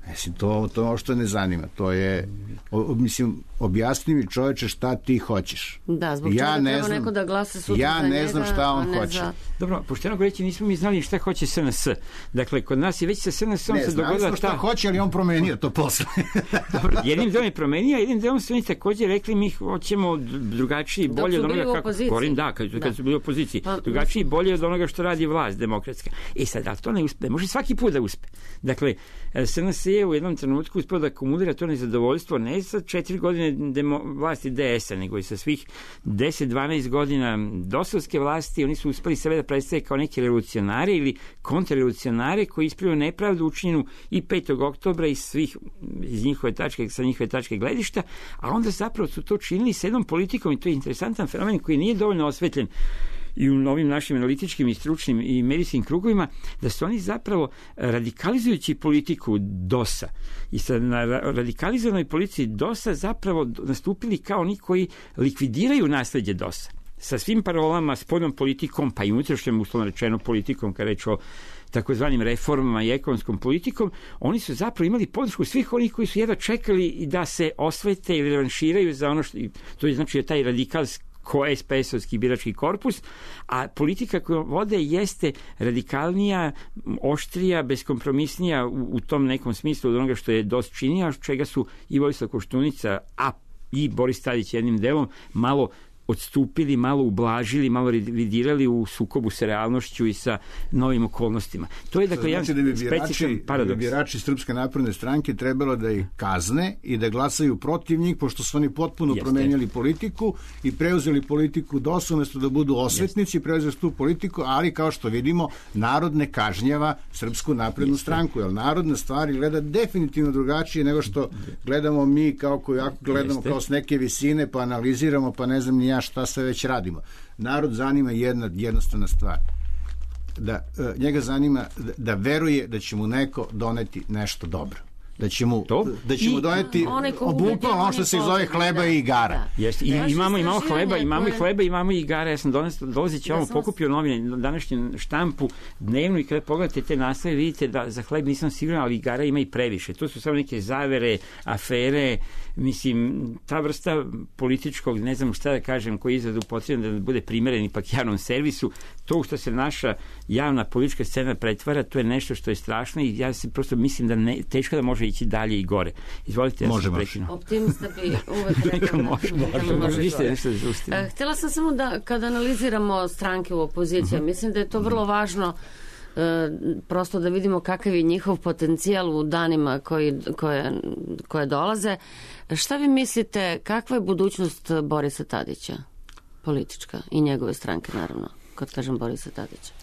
Mislim, to što ne zanima. To je, objasni mi, čoveče, šta ti hoćeš. Da, zbog čega treba neko da glasa sutra za njega. Ja ne znam šta on hoće. Dobro, pošteno govoreći, nismo mi znali šta hoće SNS. Dakle, kod nas je već sa SNS-om se dogodila ta... Ne, znali smo šta hoće, ali on promenio to posle. Dobro, jednim delom je promenio, a jednim delom su oni također rekli, mi hoćemo drugačiji, bolje od onoga kako... Govorim, kad su bili u opoziciji. Drugačiji i bolje od onoga što radi vlast demokratska. Sad, ali to ne uspe. Može svaki put da uspe. Dakle, SNS je u jednom trenutku uspio da akumulira to nezadovoljstvo ne sa 4 godine vlasti DS-a, nego i sa svih 10-12 godina dosovske vlasti. Oni su uspeli sebe da predstave kao neki revolucionari ili kontrarevolucionari koji ispravljaju nepravdu učinjenu i 5. oktobra i svih sa njihove tačke gledišta, a onda zapravo su to činili s jednom politikom, i to je interesantan fenomen koji nije dovoljno osvetljen i u novim našim analitičkim i stručnim i medijskim krugovima, da su oni zapravo radikalizujući politiku DOS-a i na radikalizovanoj politici DOS-a zapravo nastupili kao oni koji likvidiraju nasleđe DOS-a. sa svim parolama, spoljnom politikom, pa i unutrašnjom, uslovno rečeno, politikom, kada reč o takozvanim reformama i ekonomskom politikom, oni su zapravo imali podršku svih onih koji su jedva čekali da se osvete ili revanširaju za ono što, to je znači taj radikalski SPS-ovski birački korpus, a politika koju vode jeste radikalnija, oštrija, beskompromisnija u tom nekom smislu od onoga što je DOS činio, čega su i Vojislav Koštunica, a i Boris Tadić jednim delom malo odstupili, malo ublažili, malo revidirali u sukobu sa realnošću i sa novim okolnostima. To je dakle jedan specifičan paradoks. Da bi birači Srpske napredne stranke trebalo da ih kazne i da glasaju protiv njih, pošto su oni potpuno promenjali politiku i preuzeli politiku DOS umesto da budu osvetnici, preuzeli tu politiku, ali kao što vidimo, narod ne kažnjava Srpsku naprednu stranku, jer narod na stvari gleda definitivno drugačije nego što gledamo mi, kao gledamo kao s neke visine, pa analiziramo, pa ne znam ni šta sve već radimo. Narod zanima jednostavna stvar. Njega zanima da veruje da će mu neko doneti nešto dobro. Da će mu doneti bukvalno ono što se zove hleba i igara. Imamo hleba, imamo i igara. Ja sam dolazit će pokupio novine, današnju štampu dnevnu i kada pogledate te naslove vidite da za hleb nisam siguran, ali igara ima i previše. To su samo neke zavere, afere, mislim, ta vrsta političkog, ne znam šta da kažem, koji je izradu potrebno da bude primeren ipak javnom servisu, to što se naša javna politička scena pretvara, to je nešto što je strašno i ja se prosto mislim da teško da može ići dalje i gore. Izvolite, ja sam prekinuo. Optimista bi uvek rekao da može. Htjela sam samo da kada analiziramo stranke u opoziciji, mislim da je to vrlo važno prosto da vidimo kakav je njihov potencijal u danima koje dolaze. Šta vi mislite, kakva je budućnost Borisa Tadića, politička, i njegove stranke, naravno, kad kažem Borisa Tadića?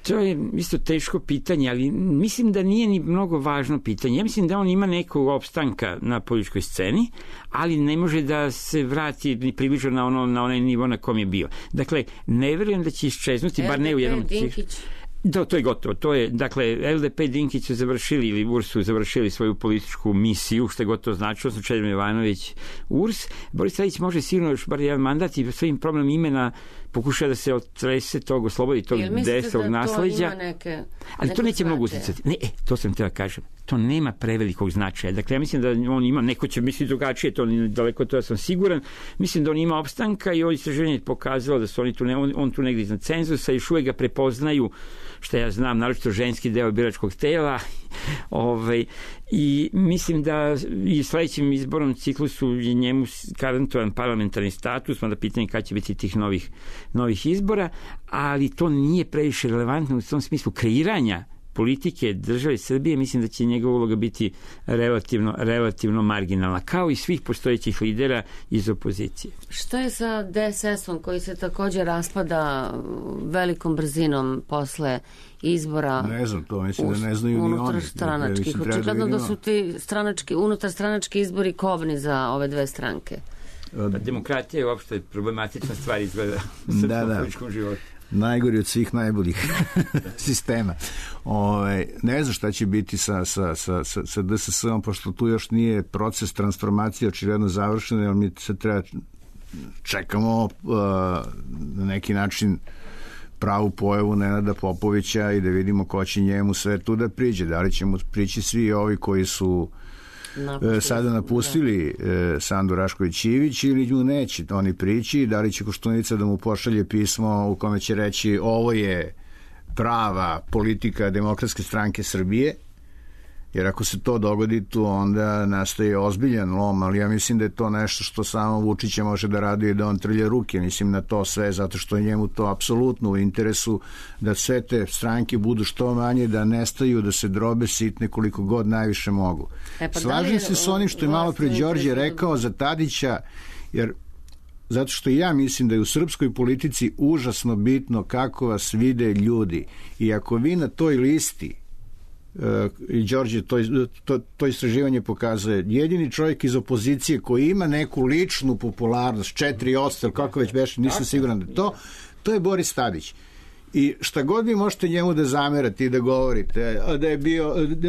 To je isto teško pitanje, ali mislim da nije ni mnogo važno pitanje. Ja mislim da on ima nekog opstanka na političkoj sceni, ali ne može da se vrati ni približno na onaj nivo na kom je bio. Dakle, ne verujem da će iščeznuti, bar ne u jednom... Da, to je gotovo. To je, dakle, LDP i Dinkić su završili, ili URS su završili svoju političku misiju, što je gotovo značilo, su Čedomir Jovanović URS. Boris Tadić može sigurno još bar jedan mandat i svojim problem imena pokuša da se otrese tog, oslobodi tog desnog nasleđa. Ali to neće mnogo uticati. Ne, to sam htjela kažem. To nema prevelikog značaja. Dakle, ja mislim da on ima, neko će misliti drugačije, to daleko to ja sam siguran. Mislim da on ima opstanka i ovo istraživanje je pokazalo da su oni tu, on tu negdje iznad cenzusa, još uvijek ga prepoznaju, što ja znam, naročito ženski deo biračkog tela. I mislim da i sledećim izbornom ciklusu je njemu garantovan parlamentarni status, onda pitanje kada će biti tih novih izbora, ali to nije previše relevantno u tom smislu kreiranja politike države Srbije. Mislim da će njegova uloga biti relativno marginalna, kao i svih postojećih lidera iz opozicije. Šta je sa DSS-om koji se također raspada velikom brzinom posle izbora? Ne znam, to mislim da ne znaju ni oni. Unutarstranačkih. Očigledno da su ti unutarstranački izbori kobni za ove dve stranke. Demokratija je uopšte problematična stvar izgleda u srpskom političkom životu. Najgori od svih najboljih sistema. Ne znam šta će biti sa DSS-om, pošto tu još nije proces transformacije očigledno završen, jer mi se treba čekamo na neki način pravu pojavu Nenada Popovića i da vidimo ko će njemu sve tu da priđe. Da li će mu prići svi ovi koji su sada napustili Sandu Rašković-Ivić ili nju neće oni prići, da li će Koštunica da mu pošalje pismo u kome će reći ovo je prava politika Demokratske stranke Srbije, jer ako se to dogodi tu onda nastaje ozbiljan lom, ali ja mislim da je to nešto što samo Vučića može da radi i da on trlje ruke, mislim na to sve, zato što je njemu to apsolutno u interesu da sve te stranke budu što manje, da nestaju, da se drobe sitne koliko god najviše mogu. Slažem se s onim što je malo pre Đorđe rekao za Tadića, jer zato što ja mislim da je u srpskoj politici užasno bitno kako vas vide ljudi, i ako vi na toj listi, i Đorđe to istraživanje pokazuje, jedini čovjek iz opozicije koji ima neku ličnu popularnost 4%, kako već beše, nisam siguran da to je Boris Tadić. I šta god vi možete njemu da zamerate i da govorite,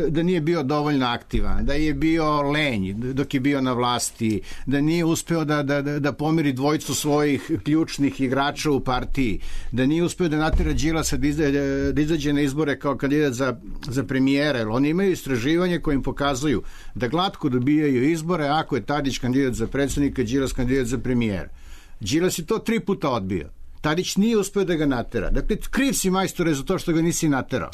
da nije bio dovoljno aktivan, da je bio lenj dok je bio na vlasti, da nije uspeo da pomiri dvojicu svojih ključnih igrača u partiji, da nije uspeo da natera Đilasa da izađe na izbore kao kandidat za premijera, jer oni imaju istraživanje koje im pokazuju da glatko dobijaju izbore ako je Tadić kandidat za predsjednika, Đilas kandidat za premijera. Đilas je to 3 puta odbio. Tadić nije uspeo da ga natera. Dakle, kriv si, majstore, za to što ga nisi naterao.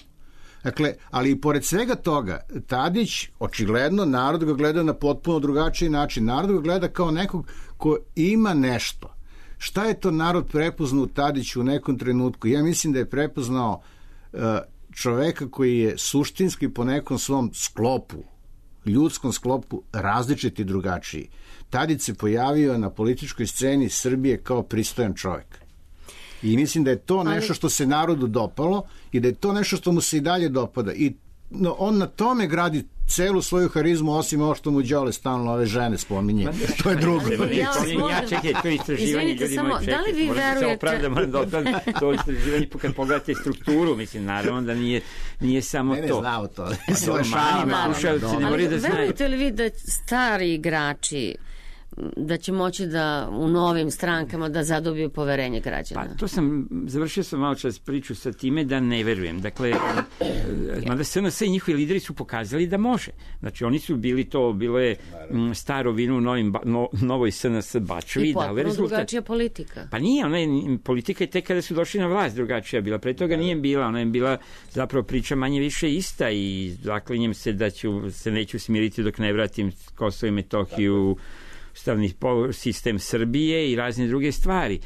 Dakle, ali i pored svega toga, Tadić, očigledno, narod ga gleda na potpuno drugačiji način. Narod ga gleda kao nekog ko ima nešto. Šta je to narod prepoznao u Tadiću u nekom trenutku? Ja mislim da je prepoznao čoveka koji je suštinski po nekom svom sklopu, ljudskom sklopu, različit i drugačiji. Tadić se pojavio na političkoj sceni Srbije kao pristojan čovek. I mislim da je to nešto što se narodu dopalo i da je to nešto što mu se i dalje dopada. I on na tome gradi celu svoju harizmu, osim ovo što mu Đole stalno ove žene spominje. To je drugo. Čekaj, to je istraživanje, ljudi moji, čekaj. To je istraživanje, kad pogledate strukturu, mislim, naravno da nije samo to. Ne znao to. Verujete li vi da stari igrači da će moći da u novim strankama da zadobiju poverenje građana? Pa završio sam malo čas priču sa time da ne verujem. Dakle, mada SNS i njihovi lideri su pokazali da može. Znači, oni su bilo je staro vino u novoj SNS Bačevi. I potpuno drugačija politika. Pa nije, politika je tek kada su došli na vlast drugačija bila. Pre toga nije bila, ona je bila zapravo priča manje više ista i zaklinjem se da se neću smiriti dok ne vratim Kosovo i Metohiju, ustavni sistem Srbije i razne druge stvari.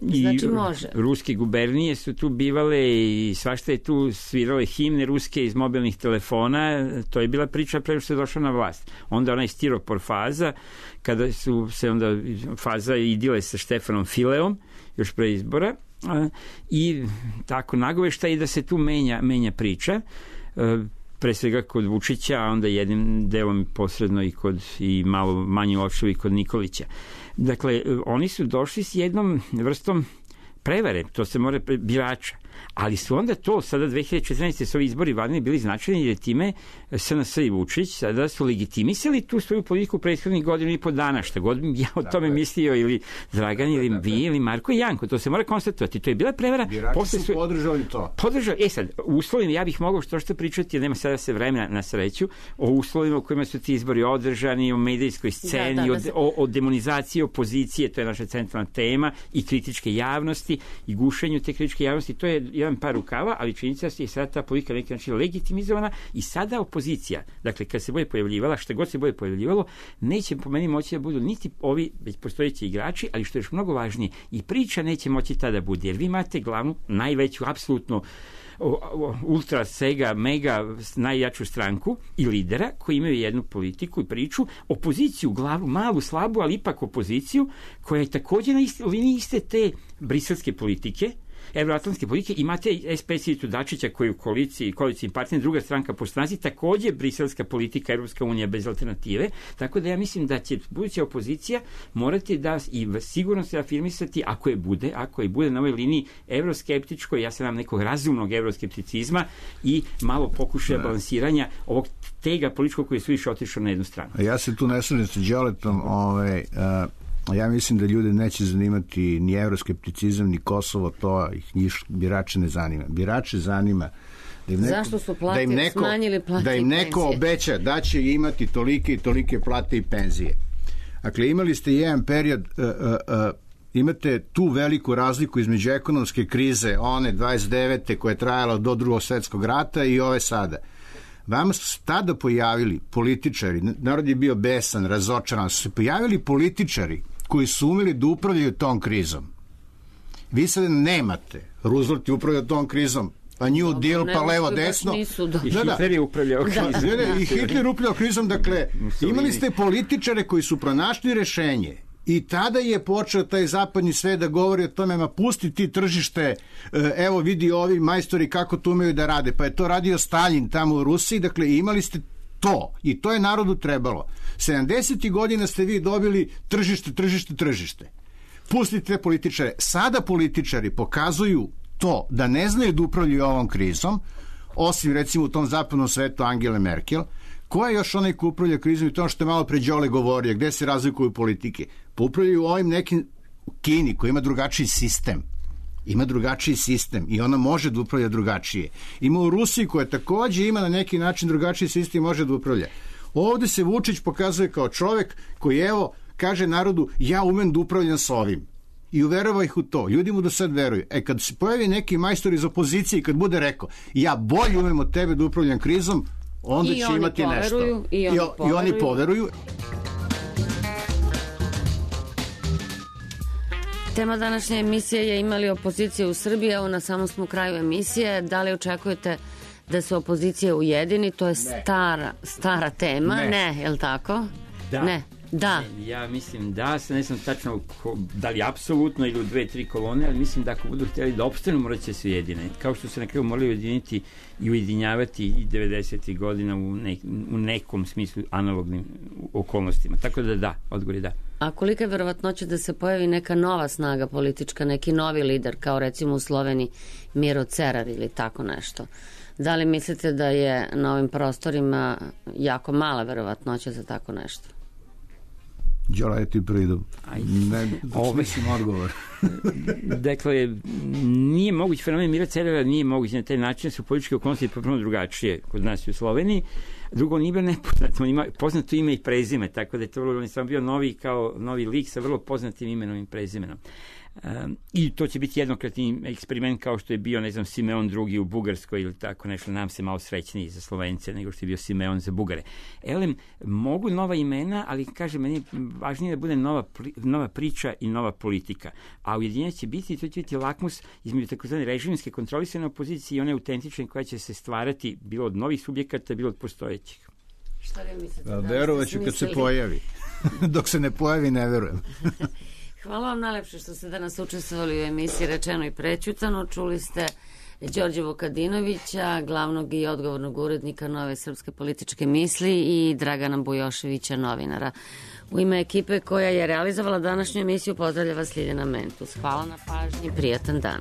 Znači može. Ruske gubernije su tu bivale i svašta je tu svirale himne ruske iz mobilnih telefona. To je bila priča pre što je došla na vlast. Onda onaj stiropor faza, kada su se onda faza idile sa Štefanom Fileom još pre izbora i tako nagovešta i da se tu menja priča, pre svega kod Vučića, a onda jednim delom posredno i malo manje ošao i kod Nikolića. Dakle, oni su došli s jednom vrstom prevare, to se mora birača. Ali su onda to, sada 2014. su ovi izbori vladini bili značajni jer time SNS i Vučić sada su legitimisali tu svoju politiku prethodnih godina i po dana, šta god ja o tome mislio ili Dragan ili vi ili Marko i Janko, to se mora konstatovati. To je bila prevara. Birači su podržali to. Sad, u uslovima, ja bih mogao što pričati, jer nema sada se vremena na sreću, o uslovima u kojima su ti izbori održani, o medijskoj sceni, o demonizaciji opozicije, to je naša centralna tema, i kritičke javnosti i gušenju te kritičke javnosti, to je jedan par rukava, ali činjenica je sada ta politika na neki način legitimizovana i sada opozicija, dakle kad se bude pojavljivala, šta god se bude pojavljivalo, neće po meni moći da budu niti ovi već postojeći igrači, ali što je još mnogo važnije, i priča neće moći tada bude, jer vi imate glavnu, najveću, apsolutno ultra, sega, mega, najjaču stranku i lidera koji imaju jednu politiku i priču, opoziciju, glavu, malu, slabu, ali ipak opoziciju, koja je također na liniji iste te briselske politike, evroatlantske politike. Imate SPS Ivicu Dačića koji u koalicijnim partnerima, druga stranka po snazi, također briselska politika, Evropska unija bez alternative, tako da ja mislim da će buduća opozicija morati da i sigurno se afirmisati, ako je bude na ovoj liniji evroskeptičkoj, ja sam nam nekog razumnog evroskepticizma i malo pokušaja balansiranja ovog tega političkog koji su više otišao na jednu stranu. Ja se tu ne slažem sa Đoletom, ja mislim da ljude neće zanimati ni evroskepticizam, ni Kosovo, to ih birače ne zanima. Birače zanima zašto su smanjili plate da im neko obeća da će imati tolike i tolike plate i penzije. Dakle, imali ste jedan period, imate tu veliku razliku između ekonomske krize, one 29. koja je trajala do Drugog svjetskog rata i ove sada. Vama su se tada pojavili političari, narod je bio besan, razočaran, su se pojavili političari koji su umeli da upravljaju tom krizom. Vi sad nemate. Roosevelt je upravljao tom krizom, a New Deal, pa levo, desno. I Hitler je upravljao krizom. I Hitler je upravljao krizom, dakle, imali ste političare koji su pronašli rešenje. I tada je počeo taj zapadni svet da govori o tome, ma pusti ti tržište, evo vidi ovi majstori kako to umeju da rade. Pa je to radio Stalin tamo u Rusiji, dakle imali ste to i to je narodu trebalo. 70. godina ste vi dobili tržište. Pustite političare. Sada političari pokazuju to da ne znaju da upravljaju ovom krizom, osim recimo u tom zapadnom svetu Angele Merkel, ko je još onaj ko upravlja krizom i to što je malo pre Đole govorio, gde se razlikuju politike? Pa upravljaju ovim nekim u Kini koji ima drugačiji sistem. Ima drugačiji sistem i ona može da upravlja drugačije. Ima u Rusiji koja takođe ima na neki način drugačiji sistem i može da upravlja. Ovde se Vučić pokazuje kao čovek koji evo kaže narodu ja umem da upravljam s ovim. I uverava ih u to. Ljudi mu do sad veruju. Kad se pojavi neki majstor iz opozicije i kad bude rekao ja bolje umem od tebe da upravljam krizom, onda će imati nešto. I oni poveruju. Tema današnje emisije je imali opozicije u Srbiji, evo na samom smo kraju emisije. Da li očekujete da se opozicija ujedini? To je stara tema. Ne, je li tako? Da. Ne. Da. Ja mislim da, ne znam tačno da li apsolutno ili u 2-3 kolone, ali mislim da ako budu htjeli da opstanu, morat će se ujedine. Kao što se na kraju morali ujediniti i ujedinjavati i 90. godina u nekom smislu analognim okolnostima. Tako da, odgovor je da. A kolika je verovatnoća da se pojavi neka nova snaga politička, neki novi lider, kao recimo u Sloveniji Miro Cerar ili tako nešto? Da li mislite da je na ovim prostorima jako mala verovatnoća za tako nešto? Đola, je ti pridom. Mislim odgovor. Dakle, nije moguć fenomen Mira Cerara, nije moguć na taj način, su političke okolnosti potpuno drugačije kod nas i u Sloveniji. Drugo, on nije bio nepoznat, on ima poznato ime i prezime, tako da je to on je samo bio novi lik sa vrlo poznatim imenom i prezimenom. I to će biti jednokratni eksperiment kao što je bio, ne znam, Simeon II u Bugarskoj ili tako nešto, nam se malo srećniji za Slovence nego što je bio Simeon za Bugare. Elem, mogu nova imena, ali kažem, meni je važnije da bude nova priča i nova politika. A ujedinjenje će biti, to će biti lakmus između takozvane režimske kontrolisane opozicije i one autentične koja će se stvarati bilo od novih subjekata, bilo od postojećih. Šta vi mislite? Verovaću kad se pojavi. Dok se ne pojavi, ne verujem. Hvala vam najlepše što ste danas učestvovali u emisiji Rečeno i prećutano. Čuli ste Đorđe Vukadinovića, glavnog i odgovornog urednika Nove srpske političke misli i Dragana Bujoševića, novinara. U ime ekipe koja je realizovala današnju emisiju pozdravlja vas Ljiljana Mentus. Hvala na pažnji, prijatan dan.